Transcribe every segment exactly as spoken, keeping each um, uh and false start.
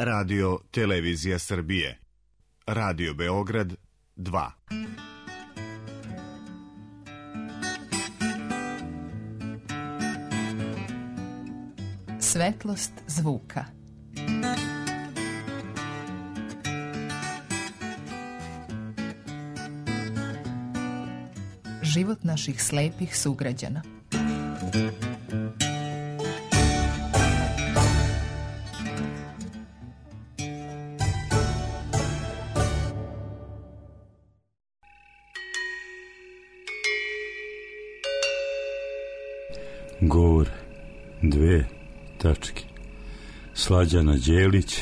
Radio Televizija Srbije. Radio Beograd dva. Svetlost zvuka. Život naših slepih sugrađana. Govor dve tačke. Slađana Đelić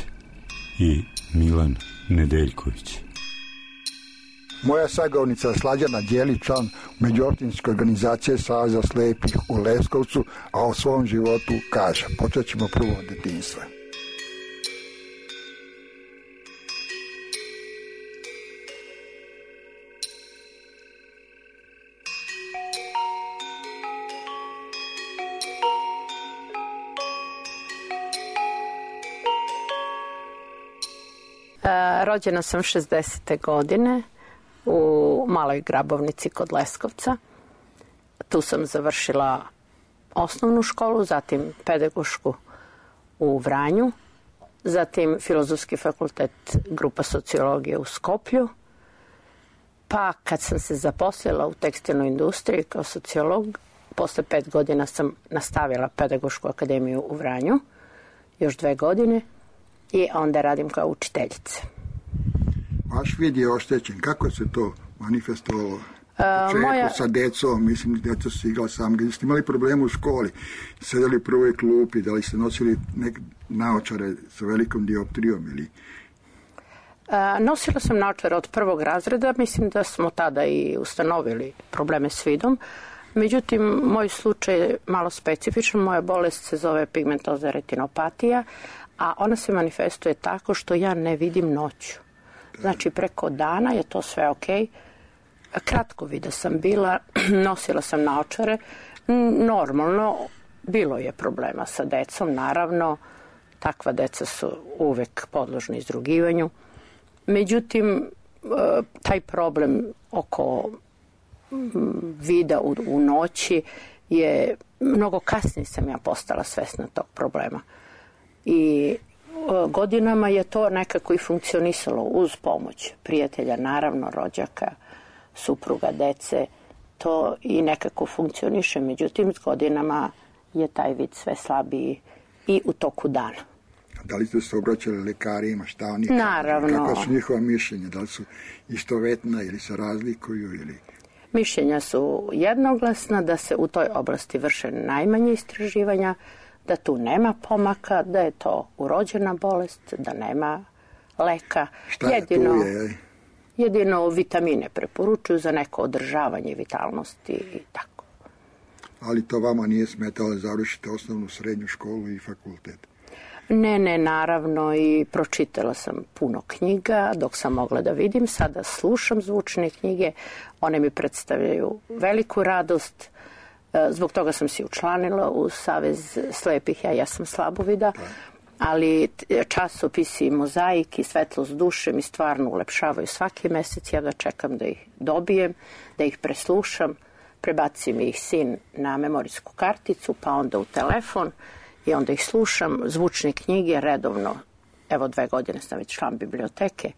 i Milan Nedeljković. Moja sagovornica Slađana Đelić, član međuopćinske organizacije Saveza slepih u Leskovcu, a o svom životu kaže. Počet ćemo prvo od detinjstva. Rođena sam šezdesete godine u Maloj Grabovnici kod Leskovca. Tu sam završila osnovnu školu, zatim pedagošku u Vranju, zatim Filozofski fakultet, grupa sociologije u Skoplju. Pa kad sam se zaposlila u tekstilnoj industriji kao sociolog, posle pet godina sam nastavila pedagošku akademiju u Vranju, još dve godine, i onda radim kao učiteljica. Vaš vid je oštećen. Kako se to manifestovalo? Početku moja... sa decom, mislim, deca su igrala sam. Gdje ste imali problemu u školi? Sedeli u prvoj klupi, da li ste nosili neke naočare sa velikom dioptrijom ili... A, nosila sam naočare od prvog razreda. Mislim da smo tada i ustanovili probleme s vidom. Međutim, moj slučaj je malo specifičan. Moja bolest se zove pigmentoza retinopatija, a ona se manifestuje tako što ja ne vidim noću. Znači, preko dana je to sve okej. Kratko vida sam bila, nosila sam naočare. Normalno, bilo je problema sa decom, naravno. Takva deca su uvek podložni izrugivanju. Međutim, taj problem oko vida u, u noći je, mnogo kasnije sam ja postala svesna tog problema. I godinama je to nekako i funkcionisalo uz pomoć prijatelja, naravno rođaka, supruga, dece. To i nekako funkcioniše. Međutim, s godinama je taj vid sve slabiji i u toku dana. Da li ste se obraćali lekarima, šta oni? Naravno. Kako su njihova mišljenja? Da li su istovetna ili se razlikuju? Ili... Mišljenja su jednoglasna da se u toj oblasti vrše najmanje istraživanja, da tu nema pomaka, da je to urođena bolest, da nema leka. Šta je jedino, tu je? Jedino vitamine preporučuju za neko održavanje vitalnosti i tako. Ali to vama nije smetalo da završite osnovnu, srednju školu i fakultet? Ne, ne, naravno, i pročitala sam puno knjiga dok sam mogla da vidim. Sada slušam zvučne knjige, one mi predstavljaju veliku radost. Zbog toga sam se učlanila u Savez slepih, ja, ja sam slabovida, ali časopisi i Mozaik i Svetlost duše mi stvarno ulepšavaju svaki mesec. Ja da čekam da ih dobijem, da ih preslušam, prebacim mi ih sin na memorijsku karticu, pa onda u telefon i onda ih slušam. Zvučne knjige redovno, evo dve godine sam već član biblioteke,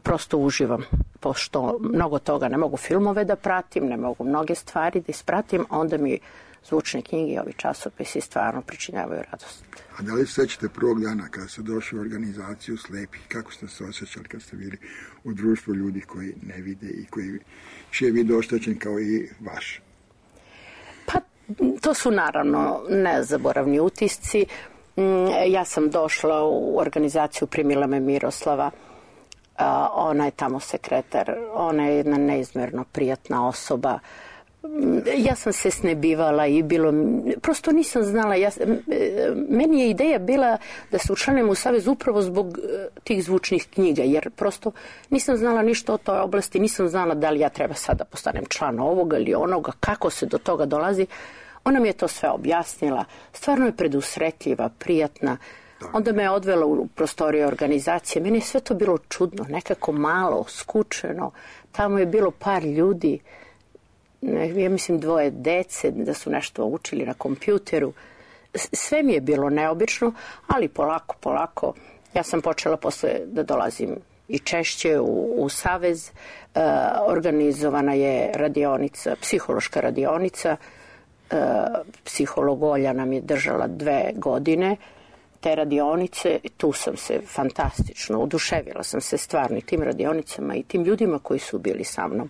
prosto uživam, pošto mnogo toga ne mogu filmove da pratim, ne mogu mnoge stvari da ispratim, onda mi zvučne knjige i ovi časopisi stvarno pričinjavaju radost. A da li se sećate prvog dana kada ste došli u organizaciju slepih, kako ste se osjećali kad ste bili u društvu ljudi koji ne vide i koji čije vid oštećen kao i vaš? Pa to su naravno nezaboravni utisci. Ja sam došla u organizaciju, primila me Miroslava. Uh, ona je tamo sekretar, ona je jedna neizmjerno prijatna osoba. Ja sam se snebivala i bilo, prosto nisam znala, ja, meni je ideja bila da se učlanim u savez upravo zbog tih zvučnih knjiga, jer prosto nisam znala ništa o toj oblasti, nisam znala da li ja treba sada postanem član ovoga ili onoga, kako se do toga dolazi. Ona mi je to sve objasnila, stvarno je predusretljiva, prijatna. Onda me je odvela u prostorije organizacije. Meni je sve to bilo čudno, nekako malo, skučeno. Tamo je bilo par ljudi, ja mislim dvoje dece, da su nešto učili na kompjuteru. Sve mi je bilo neobično, ali polako, polako. Ja sam počela posle da dolazim i češće u, u Savez. E, organizovana je radionica, psihološka radionica. E, psiholog Olja nam je držala dve godine te radionice. Tu sam se fantastično oduševila sam se stvarno i tim radionicama i tim ljudima koji su bili sa mnom.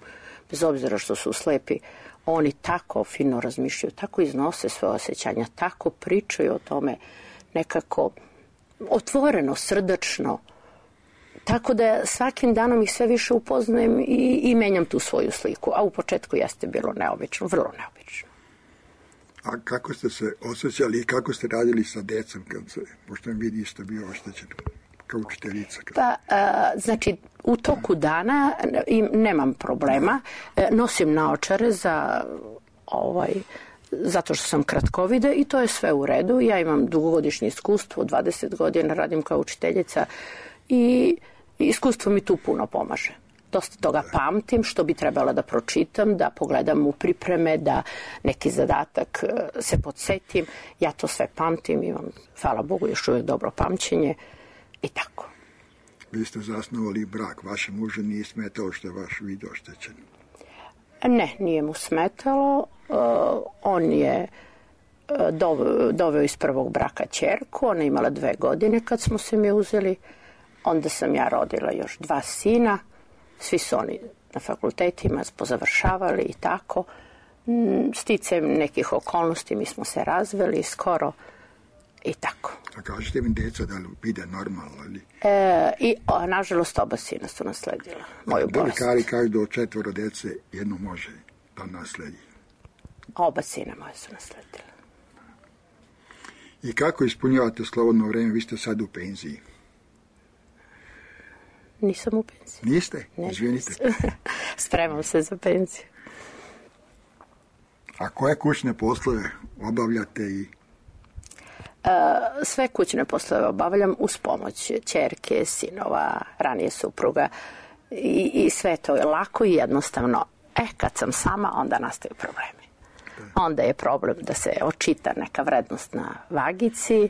Bez obzira što su slepi, oni tako fino razmišljaju, tako iznose svoje osjećanja, tako pričaju o tome nekako otvoreno, srdačno. Tako da svakim danom ih sve više upoznajem i, i menjam tu svoju sliku. A u početku jeste bilo neobično, vrlo neobično. A kako ste se osjećali i kako ste radili sa decom, kad se, pošto vam vidi isto bio oštećen kao učiteljica? Kad... Pa, a, znači, u toku dana im, nemam problema. E, nosim naočare za ovaj... zato što sam kratkovida i to je sve u redu. Ja imam dugogodišnje iskustvo, dvadeset godina radim kao učiteljica i iskustvo mi tu puno pomaže. Dosta toga pamtim, što bi trebala da pročitam, da pogledam u pripreme, da neki zadatak se podsetim. Ja to sve pamtim, imam, hvala Bogu, još uvijek dobro pamćenje i tako. Vi ste zasnovali brak, vašem mužu nije smetalo što je vaš vid oštećen? Ne, nije mu smetalo. Uh, on je uh, doveo, doveo iz prvog braka ćerku, ona je imala dve godine kad smo se mi uzeli. Onda sam ja rodila još dva sina, svi su oni na fakultetima pozavršavali i tako. Sticajem nekih okolnosti mi smo se razveli skoro i tako. A kažete mi deca da li vide normalno? Ali... E, I o, nažalost oba sina su nasledila moju bolest. Da li kažu do četvoro dece jedno može da nasledi? Oba sina moje su nasledila. I kako ispunjavate slobodno vreme? Vi ste sad u penziji. Nisam u penziji. Niste? Ne, izvinite. Spremam se za penziju. A koje kućne poslove obavljate i... Uh, sve kućne poslove obavljam uz pomoć ćerke, sinova, ranije supruga i, i sve to je lako i jednostavno. E, kad sam sama, onda nastaju problemi. Onda je problem da se očita neka vrednost na vagici,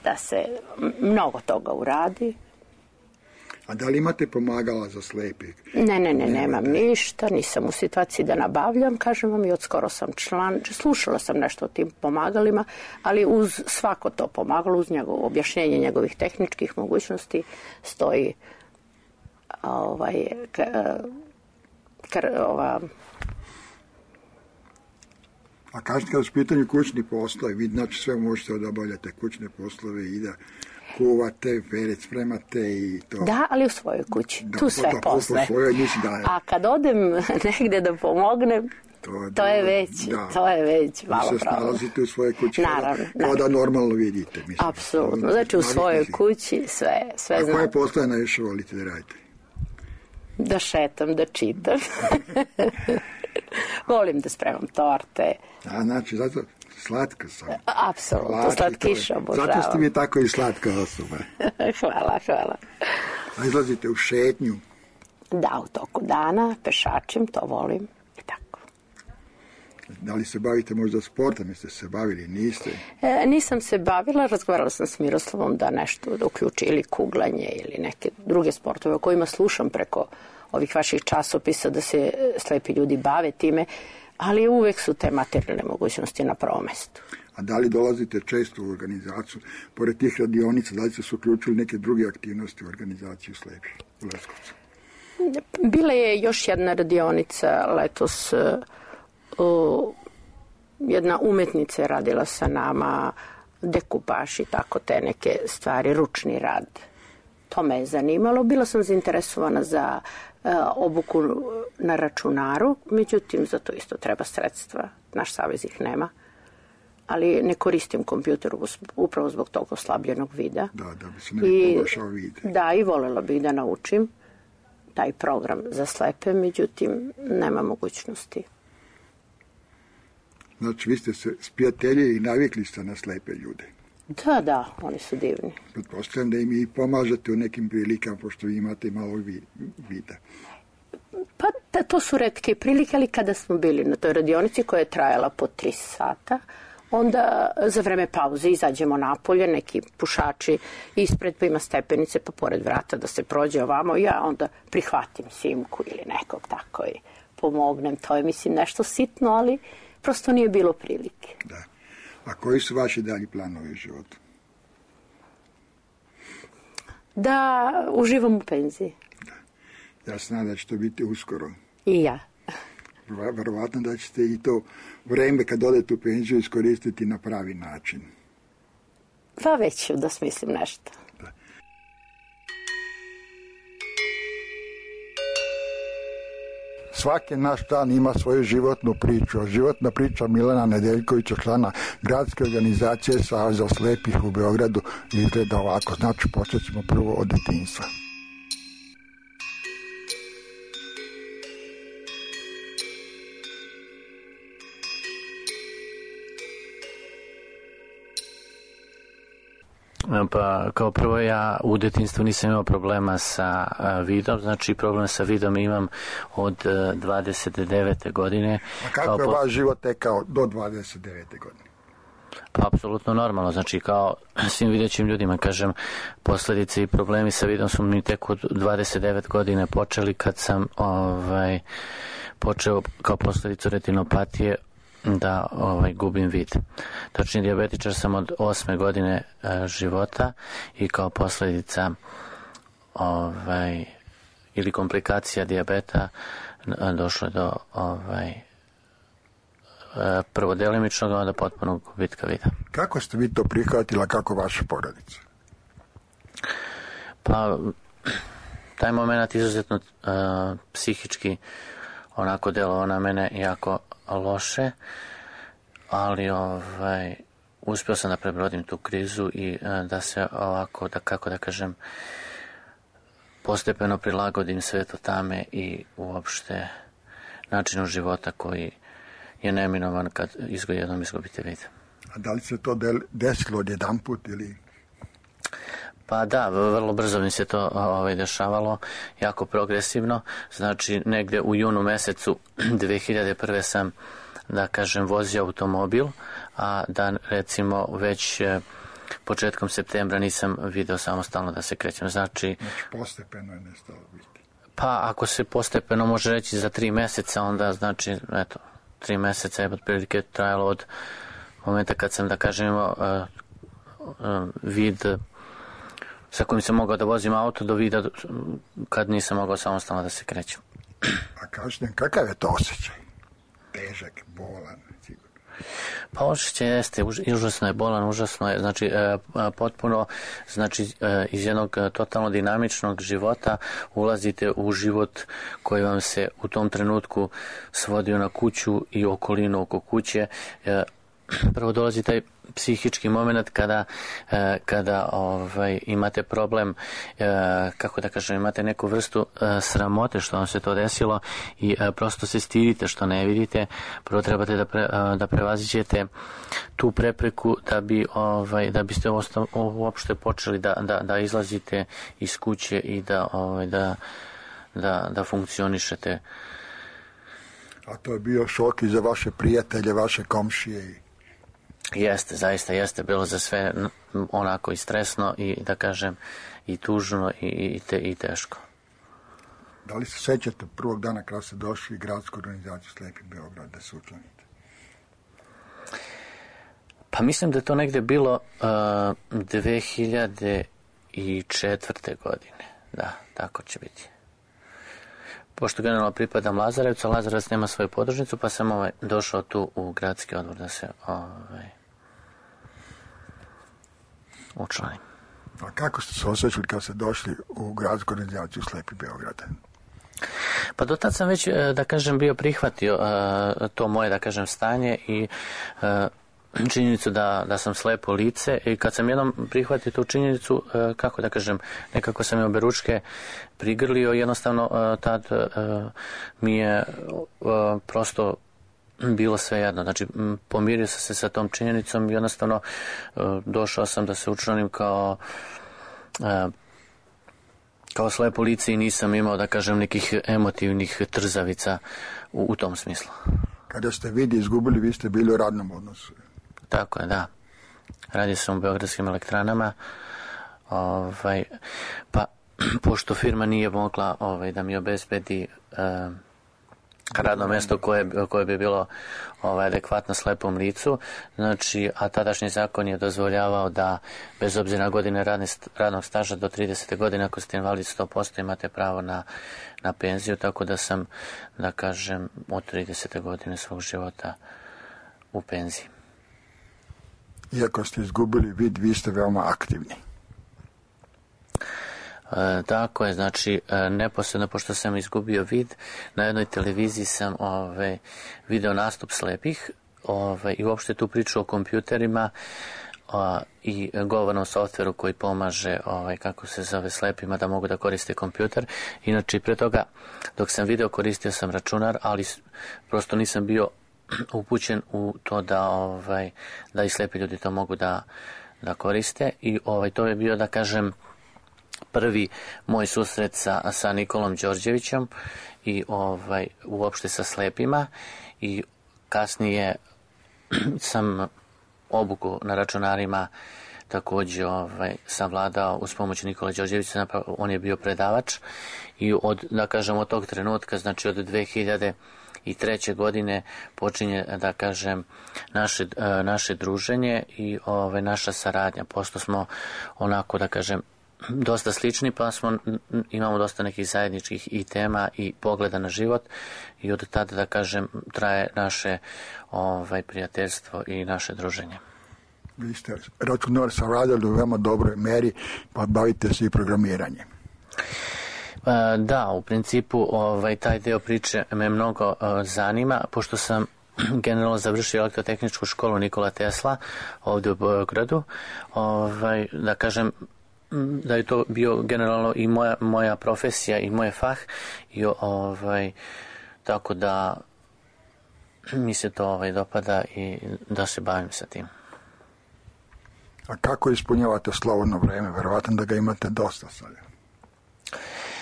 da se mnogo toga uradi. A da li imate pomagala za slepi? Ne, ne, ne, nemam ništa, nisam u situaciji da nabavljam, kažem vam, i od skoro sam član, slušala sam nešto o tim pomagalima, ali uz svako to pomagalo, uz njegovo objašnjenje njegovih tehničkih mogućnosti, stoji ovaj, k, k, ova... A kažete kada su pitanju kućni poslovi, vi znači sve možete da obavljate kućne poslove i da kuvate, perec spremate i to. Da, ali u svojoj kući. Da, tu sve to, posle. Svojoj, da, a kad odem negde da pomognem, to, to je već, da, to je već malo problem. Vi se snalazite u svojoj kući. Naravno. Kao da normalno vidite. Mislim. Apsolutno. Znači u svojoj kući sve, sve znam. A koje poslove najviše volite da radite? Da šetam, da čitam. Volim da spremam torte. A znači, zato slatka sam. Apsolutno, slatkiša obožavam. Zato ste mi tako i slatka osoba. Hvala, hvala. A izlazite u šetnju? Da, u toku dana, pešačem, to volim i tako. Da li se bavite možda sportom, jeste se bavili, niste? E, nisam se bavila, razgovarala sam s Miroslavom da nešto da uključi ili kuglanje ili neke druge sportove o kojima slušam preko ovih vaših časopisa da se slepi ljudi bave time, ali uvek su te materijalne mogućnosti na prvom mestu. A da li dolazite često u organizaciju, pored tih radionica, da li ste se uključili neke druge aktivnosti u organizaciju slepih u Leskovcu? Bila je još jedna radionica letos, uh, jedna umetnica je radila sa nama, dekupaž i tako te neke stvari, ručni rad. To me je zanimalo. Bila sam zainteresovana za uh, obuku na računaru, međutim, za to isto treba sredstva. Naš savez ih nema. Ali ne koristim kompjuter upravo zbog tog oslabljenog vida. Da, da bi se ne poboljšao vid. Da, i voljela bih da naučim taj program za slepe, međutim, nema mogućnosti. Znači, vi ste se sprijateljili i navikli ste na slepe ljude. Da, da, oni su divni. Pretpostavljam da im i pomažete u nekim prilikama, pošto vi imate malo vida. Pa da, to su retke prilike, ali kada smo bili na toj radionici koja je trajala po tri sata, onda za vreme pauze izađemo napolje, neki pušači ispred, pa ima stepenice, pa pored vrata da se prođe ovamo, ja onda prihvatim Simku ili nekog tako i pomognem. To je, mislim, nešto sitno, ali prosto nije bilo prilike. Da. A koji su vaši dalji planovi u životu? Da uživam u penziji. Da. Ja se nadam da će to biti uskoro. I ja. Verovatno da ćete i to vreme kad odete u penziju iskoristiti na pravi način. Pa već ću da smislim nešto. Da. Svaki naš dan ima svoju životnu priču. Životna priča Milana Nedeljkovića, člana gradske organizacije Saveza slepih u Beogradu, izgleda ovako. Znači, počet ćemo prvo od detinjstva. Pa kao prvo ja u detinjstvu nisam imao problema sa vidom, znači problem sa vidom imam od dvadeset devete godine. A kako kao je po... vaš život tekao do dvadeset devete godine? Pa apsolutno normalno, znači kao svim videćim ljudima, kažem, posljedice i problemi sa vidom su mi tek od dvadeset devet godine počeli kad sam ovaj, počeo kao posljedicu retinopatije da ovaj, gubim vid. Točnije, dijabetičar sam od osme godine e, života i kao posljedica ovaj, ili komplikacija dijabeta e, došlo do ovaj, e, prvo delimičnog, onda potpunog gubitka vida. Kako ste vi to prihvatila, kako vaša porodica? Pa, taj moment izuzetno e, psihički onako delovao na mene jako loše, ali ovaj, uspio sam da prebrodim tu krizu i da se ovako, da kako da kažem, postepeno prilagodim svetu tame i uopšte načinu života koji je neminovan kad izgo jednom izgubite vid. A da li se to desilo odjedan put ili... Pa da, vrlo brzo mi se to ovaj, dešavalo, jako progresivno. Znači, negde u junu mesecu dve hiljade prve sam, da kažem, vozio automobil, a da recimo već početkom septembra nisam video samostalno da se krećem. Znači, znači postepeno je nestalo biti. Pa ako se postepeno može reći za tri meseca, onda znači, eto, tri meseca je otprilike trajalo od momenta kad sam, da kažem, imao uh, uh, vid sa kojim sam mogao da vozim auto do vida kad nisam mogao samostalno da se krećem. A kažete, kakav je to osjećaj? Težak, bolan, sigurno. Pa osjećaj jeste, užasno je bolan, užasno je, znači e, potpuno, znači e, iz jednog totalno dinamičnog života ulazite u život koji vam se u tom trenutku svodio na kuću i okolinu oko kuće. E, prvo dolazi taj psihički moment kada, kada ovaj, imate problem, kako da kažem, imate neku vrstu sramote što vam se to desilo i prosto se stidite što ne vidite. Prvo trebate da, pre, da prevaziđete tu prepreku da, bi, ovaj, da biste uopšte počeli da, da, da izlazite iz kuće i da, ovaj, da, da, da funkcionišete. A to je bio šok i za vaše prijatelje, vaše komšije i... Jeste, zaista jeste bilo za sve onako i stresno i da kažem i tužno i, i, te, i teško. Da li se sećate prvog dana kada ste došli u gradsku organizaciju Slepi Beograd da se učlanite? Pa mislim da je to negde bilo uh, dve hiljade četvrte godine. Da, tako će biti. Pošto generalno pripadam Lazarevcu, a Lazarevac nema svoju podružnicu, pa sam ovaj, došao tu u gradski odbor da se ovaj, učlanim. A kako ste se osjećali kad ste došli u gradsku organizaciju Slepi Beograd? Pa do tad sam već, da kažem, bio prihvatio uh, to moje, da kažem, stanje i uh, činjenicu da, da sam slepo lice i kad sam jednom prihvatio tu činjenicu, kako da kažem, nekako sam je oberučke prigrlio, jednostavno tad mi je prosto bilo sve jedno. Znači, pomirio sam se sa tom činjenicom i jednostavno došao sam da se učlanim kao kao slepo lice i nisam imao, da kažem, nekih emotivnih trzavica u, u tom smislu. Kada ste vidi izgubili, vi ste bili u radnom odnosu. Tako je, da. Radio sam u Beogradskim elektranama, ovaj, pa pošto firma nije mogla ovaj, da mi obezbedi eh, radno mjesto koje, koje bi bilo ovaj, adekvatno slepom licu, znači, a tadašnji zakon je dozvoljavao da bez obzira na godine radne, radnog staža do tridesete godine, ako ste invalid sto posto imate pravo na, na penziju, tako da sam, da kažem, od tridesete godine svog života u penziji. Iako ste izgubili vid, vi ste veoma aktivni. E, tako je, znači, e, neposredno pošto sam izgubio vid, na jednoj televiziji sam ove, video nastup slepih ove, i uopšte tu priču o kompjuterima o, i govornom softveru koji pomaže, ove, kako se zove, slepima da mogu da koriste kompjuter. Inače, pre toga, dok sam video, koristio sam računar, ali prosto nisam bio upućen u to da, ovaj, da i slepi ljudi to mogu da, da koriste i ovaj, to je bio, da kažem, prvi moj susret sa, sa Nikolom Đorđevićem i ovaj, uopšte sa slepima i kasnije sam obuku na računarima također ovaj, savladao uz pomoć Nikola Đorđevića, on je bio predavač i od, da kažem, od tog trenutka, znači od dve hiljade treće godine počinje, da kažem, naše, naše druženje i ovaj, naša saradnja, pošto smo onako, da kažem, dosta slični, pa smo, imamo dosta nekih zajedničkih i tema i pogleda na život i od tada, da kažem, traje naše ovaj, prijateljstvo i naše druženje. Vi ste računar savladali u veoma dobroj meri, pa bavite se i programiranjem. Da, u principu ovaj, taj deo priče me mnogo uh, zanima, pošto sam generalno završio elektrotehničku školu Nikola Tesla ovdje u Beogradu. Ovaj, da kažem da je to bio generalno i moja, moja profesija i moj fah i ovaj, tako da mi se to ovaj, dopada i da se bavim sa tim. A kako ispunjavate slobodno vreme? Verovatno da ga imate dosta sada.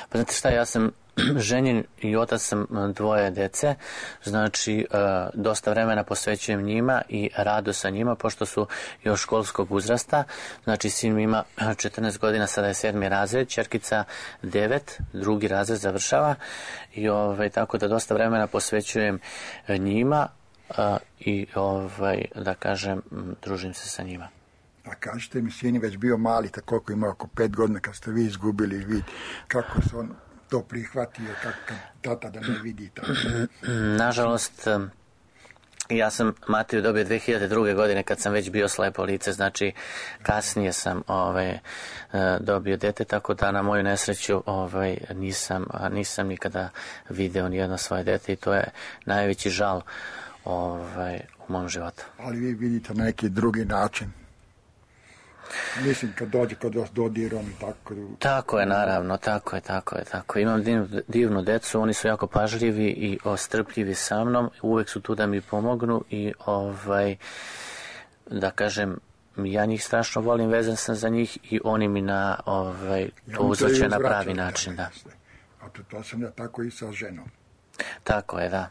Pa znate šta, ja sam ženjen i otac sam dvoje dece, znači dosta vremena posvećujem njima i radu sa njima, pošto su još školskog uzrasta, znači sin ima četrnaest godina, sada je sedmi razred, ćerkica devet, drugi razred završava i ovaj, tako da dosta vremena posvećujem njima i ovaj, da kažem, družim se sa njima. A kažete mi, sin je već bio mali, tako koliko ima oko pet godina kad ste vi izgubili vid. Kako se on to prihvatio, kako kad tata da ne vidi tako? Nažalost, ja sam Matiju dobio dve hiljade druge. godine kad sam već bio slepo lice, znači kasnije sam ovaj, dobio dete, tako da na moju nesreću ovaj, nisam, nisam nikada video nijedno svoje dete i to je najveći žal ovaj, u mom životu. Ali vi vidite na neki drugi način. Mislim, kad dođe kod vas dodirom i tako. Tako je, naravno, tako je, tako je, tako. Imam divnu, divnu decu, oni su jako pažljivi i ostrpljivi sa mnom, uvek su tu da mi pomognu i ovaj, da kažem, ja njih strašno volim, vezan sam za njih i oni mi na ovaj, to uzvrće na pravi način, da. A to, to sam ja tako i sa ženom. Tako je, da.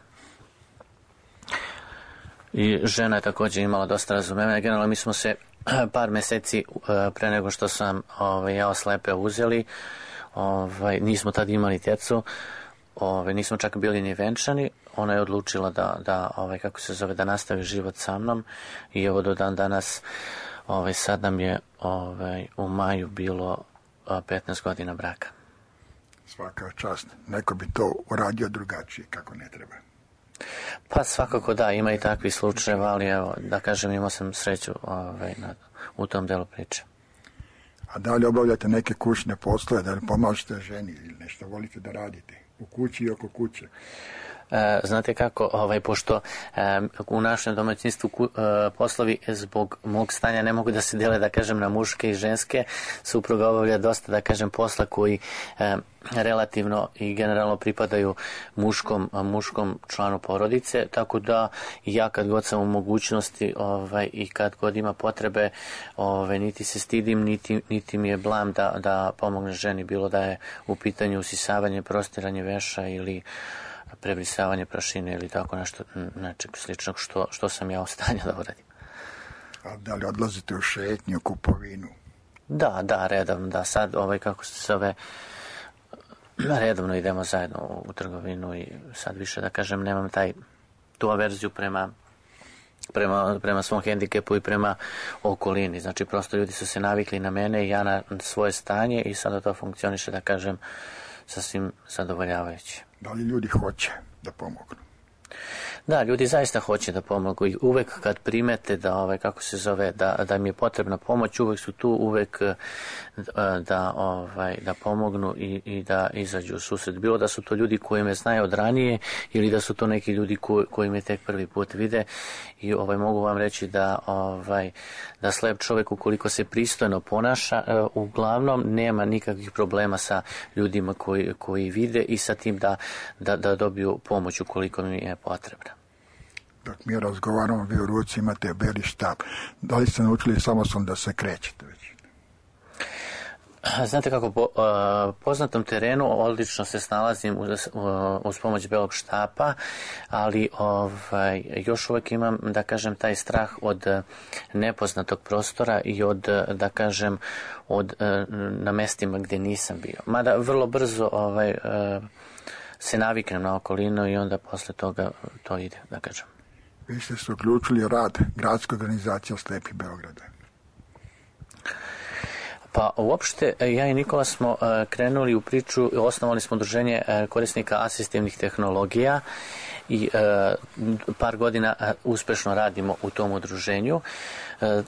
I žena je također imala dosta razumevanja. Generalno mi smo se par meseci pre nego što sam ovaj, ja slepe uzeli, ovaj, nismo tad imali djecu, ovaj, nismo čak bili ni venčani. Ona je odlučila da, da ovaj, kako se zove, da nastavi život sa mnom i evo do dan danas, ovaj, sad nam je ovaj, u maju bilo petnaest godina braka. Svaka čast. Neko bi to uradio drugačije, kako ne treba. Pa svakako da, ima i takvi slučajeva, ali evo, da kažem, imao sam sreću ovaj, na, u tom delu priče. A da li obavljate neke kućne poslove, da li pomažete ženi ili nešto volite da radite u kući i oko kuće? Znate kako, ovaj, pošto u našem domaćinstvu poslovi zbog mog stanja ne mogu da se dele, da kažem, na muške i ženske, supruga obavlja dosta, da kažem, posla koji relativno i generalno pripadaju muškom, muškom članu porodice, tako da ja kad god sam u mogućnosti ovaj, i kad god ima potrebe, ovaj, niti se stidim, niti, niti mi je blam da, da pomogne ženi, bilo da je u pitanju usisavanje, prostiranje veša ili prebrisavanje prašine ili tako nešto, nečeg sličnog što, što sam ja u stanju da uradim. A da li odlazite u šetnju, kupovinu? Da, da, redovno, da, sad ovaj, kako se zove, redovno idemo zajedno u trgovinu i sad više, da kažem, nemam taj, tu averziju prema, prema, prema svom hendikepu i prema okolini. Znači, prosto ljudi su se navikli na mene i ja na svoje stanje i sada to funkcioniše, da kažem, sasvim zadovoljavajuće. Da li ljudi hoće da pomognu? Da, ljudi zaista hoće da pomogu i uvek kad primete da, ovaj, kako se zove, da, da mi je potrebna pomoć, uvek su tu, uvek da, ovaj, da pomognu i, i da izađu u susret. Bilo da su to ljudi koji me znaju od ranije ili da su to neki ljudi koji, koji me tek prvi put vide i ovaj, mogu vam reći da, ovaj, da slep čovjek ukoliko se pristojno ponaša, uglavnom nema nikakvih problema sa ljudima koji, koji vide i sa tim da, da, da dobiju pomoć ukoliko mi je potrebna. Dok mi razgovaramo, vi u ruci imate beli štab. Da li ste naučili samostalno da se krećete već? Znate kako, po uh, poznatom terenu odlično se snalazim uz, uz pomoć belog štapa, ali ovaj, još uvijek imam, da kažem, taj strah od nepoznatog prostora i od, da kažem, od, na mestima gdje nisam bio. Mada vrlo brzo ovaj, uh, se naviknem na okolinu i onda posle toga to ide, da kažem. Vi ste se uključili rad gradske organizacije Slepi Beograda. Pa uopšte, ja i Nikola smo krenuli u priču, osnovali smo udruženje korisnika asistivnih tehnologija i par godina uspešno radimo u tom udruženju.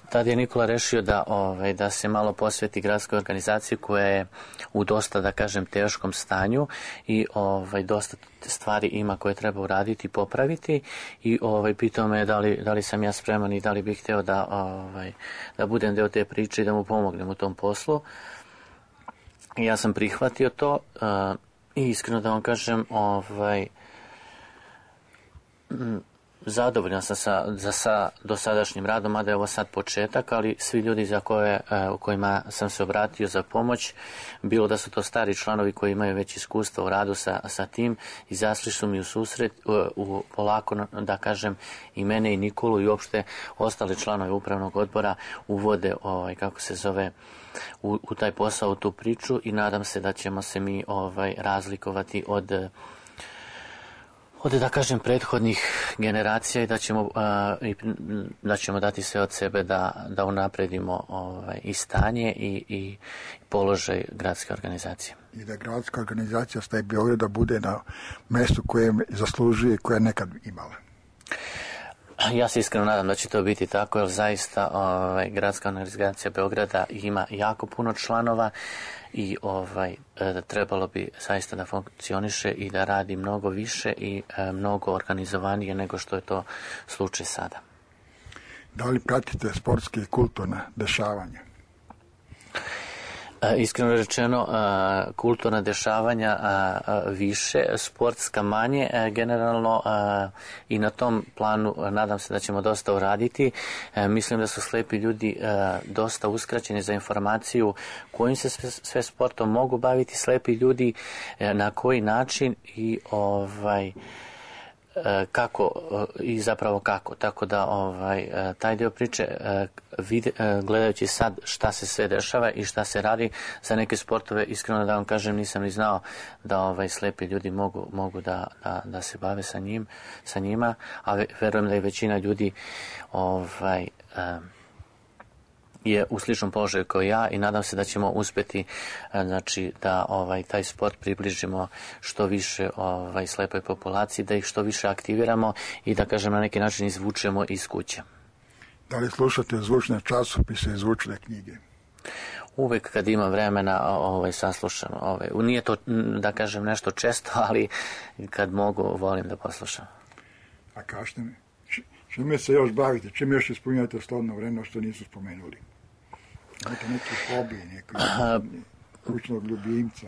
Tad je Nikola rešio da, ovaj, da se malo posveti gradskoj organizaciji koja je u dosta, da kažem, teškom stanju i ovaj, dosta stvari ima koje treba uraditi i popraviti i ovaj, pitao me da li, da li sam ja spreman i da li bih hteo da, ovaj, da budem deo te priče i da mu pomognem u tom poslu. I ja sam prihvatio to uh, i iskreno da vam kažem, ovaj, m, zadovoljan sam sa, za sa dosadašnjim radom, mada je ovo sad početak, ali svi ljudi za koje, u kojima sam se obratio za pomoć, bilo da su to stari članovi koji imaju već iskustva u radu sa, sa tim, izašli su mi u susret, u, u, polako, da kažem, i mene i Nikolu i uopšte ostale članovi upravnog odbora uvode, ovaj, kako se zove, u, u taj posao, u tu priču i nadam se da ćemo se mi ovaj, razlikovati od od, da kažem, prethodnih generacija i da ćemo, uh, i, da ćemo dati sve od sebe da, da unapredimo ovaj, i stanje i, i položaj gradske organizacije. I da gradska organizacija Slepi Beograda bude na mestu koje zaslužuje i koje je nekad imala. Ja se iskreno nadam da će to biti tako, jer zaista ovaj, gradska organizacija Beograda ima jako puno članova i ovaj, e, trebalo bi zaista da funkcioniše i da radi mnogo više i e, mnogo organizovanije nego što je to slučaj sada. Da li pratite sportske i kulturne dešavanja? Iskreno rečeno, kulturna dešavanja više, sportska manje, generalno i na tom planu nadam se da ćemo dosta uraditi. Mislim da su slepi ljudi dosta uskraćeni za informaciju kojim se sve, sve sportom mogu baviti slepi ljudi, na koji način i ovaj kako i zapravo kako, tako da ovaj taj dio priče vide, gledajući sad šta se sve dešava i šta se radi za neke sportove, iskreno da vam kažem nisam ni znao da ovaj slepi ljudi mogu mogu da, da, da se bave sa njim sa njima, a verujem da je većina ljudi ovaj je u sličnom položaju kao ja i nadam se da ćemo uspjeti, znači, da ovaj taj sport približimo što više ovaj slepoj populaciji, da ih što više aktiviramo i da, kažem, na neki način izvučemo iz kuće. Da li slušate zvučne časopise i zvučne knjige? uvek kad imam vremena ovaj, saslušam. Ovaj. Nije to, da kažem, nešto često, ali kad mogu, volim da poslušam. A kažete mi, čime se još bavite? Čime još ispunjate slobodno vreme što nisu spomenuli? Imate neki hobi, neki kućnog ljubimca?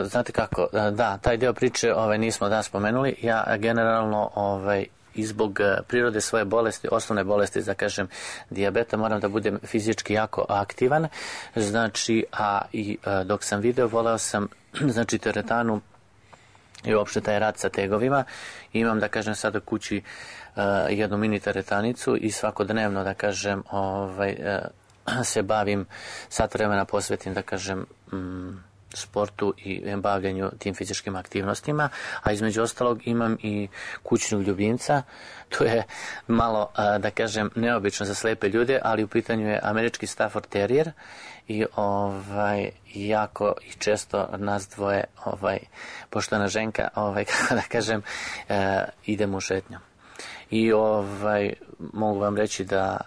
Znate kako, da, taj deo priče ovaj, nismo da spomenuli. Ja generalno ovaj, i zbog prirode svoje bolesti, osnovne bolesti, da kažem, dijabeta, moram da budem fizički jako aktivan. Znači, a i dok sam video, voleo sam, znači, teretanu i uopšte taj rad sa tegovima. Imam, da kažem, sad u kući uh, jednu mini teretanicu i svakodnevno, da kažem, ovaj, uh, se bavim, sat vremena posvetim, da kažem, um, sportu i bavljanju tim fizičkim aktivnostima, a između ostalog imam i kućnog ljubimca. To je malo, da kažem, neobično za slepe ljude, ali u pitanju je američki Stafford Terrier i ovaj, jako i često nas dvoje, ovaj, poštovana ženka, ovaj, kako da kažem, eh, idemo u šetnju. I ovaj, mogu vam reći da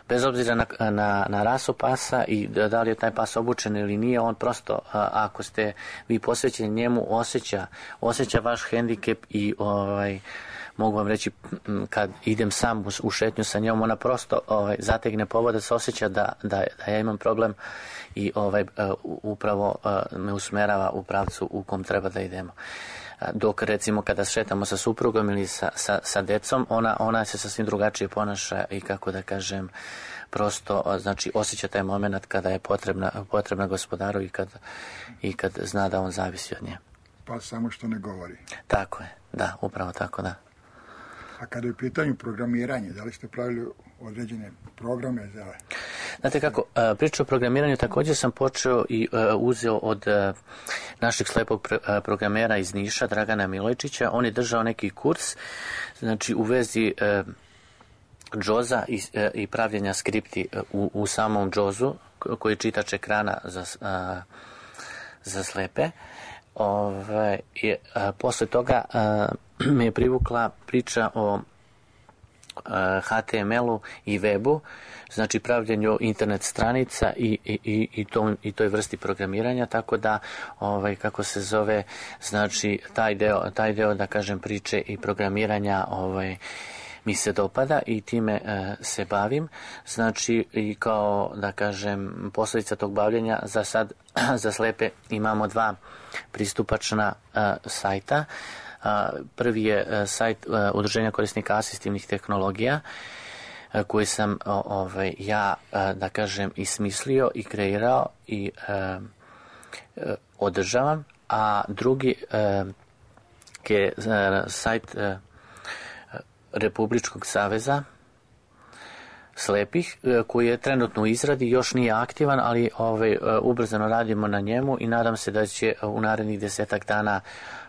bez obzira na, na, na rasu pasa i da, da li je taj pas obučen ili nije, on prosto, a, ako ste vi posvećeni njemu, osjeća, osjeća vaš hendikep i ovaj, mogu vam reći, kad idem sam u, u šetnju sa njom, ona prosto ovaj, zategne povodac, osjeća da, da, da ja imam problem i ovaj, upravo me usmerava u pravcu u kom treba da idemo. Dok recimo kada šetamo sa suprugom ili sa, sa, sa decom, ona, ona se sasvim drugačije ponaša i kako da kažem, prosto znači osjeća taj moment kada je potrebna, potrebna gospodaru i kad, i kad zna da on zavisi od nje. Pa samo što ne govori. Tako je, da, upravo tako, da. A kada je u pitanju programiranje, da li ste pravili određene programe za... Znate kako, priča o programiranju također sam počeo i uzeo od našeg slepog programera iz Niša, Dragana Milojčića. On je držao neki kurs, znači u vezi džoza i, i pravljenja skripti u, u samom džozu, koji je čitač ekrana za, za slepe. Ove, je, a, posle toga a, me je privukla priča o a, H T M L-u i webu, znači pravljenju internet stranica i, i, i, to, i toj vrsti programiranja, tako da ovaj, kako se zove, znači taj deo, taj deo da kažem priče i programiranja ovaj, mi se dopada i time e, se bavim. Znači i kao da kažem posljedica tog bavljenja za sad za slepe imamo dva pristupačna e, sajta. E, prvi je e, sajt e, Udruženja korisnika asistivnih tehnologija e, koji sam o, ovaj, ja e, da kažem i smislio i kreirao i e, e, održavam, a drugi e, je e, sajt e, Republičkog saveza slepih, koji je trenutno u izradi, još nije aktivan, ali ovaj, ubrzano radimo na njemu i nadam se da će u narednih desetak dana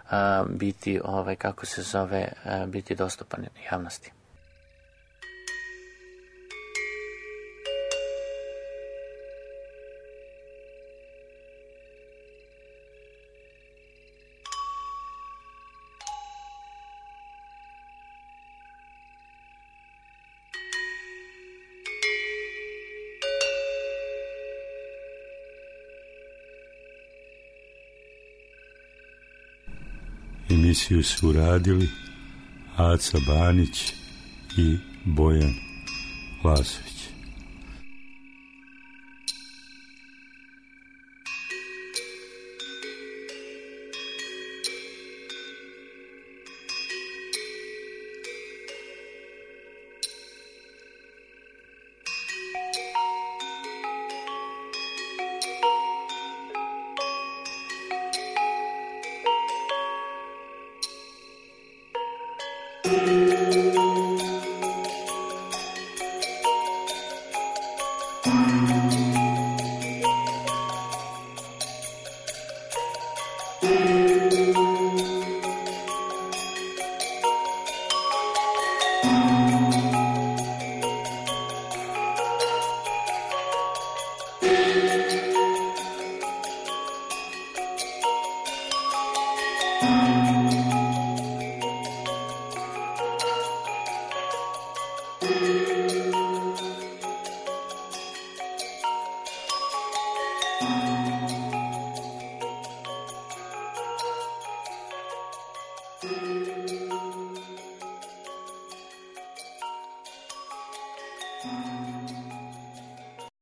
uh, biti, ovaj, kako se zove, uh, biti dostupan javnosti. Emisiju su uradili Aca Banić i Bojan Lazović. Thank you. Ti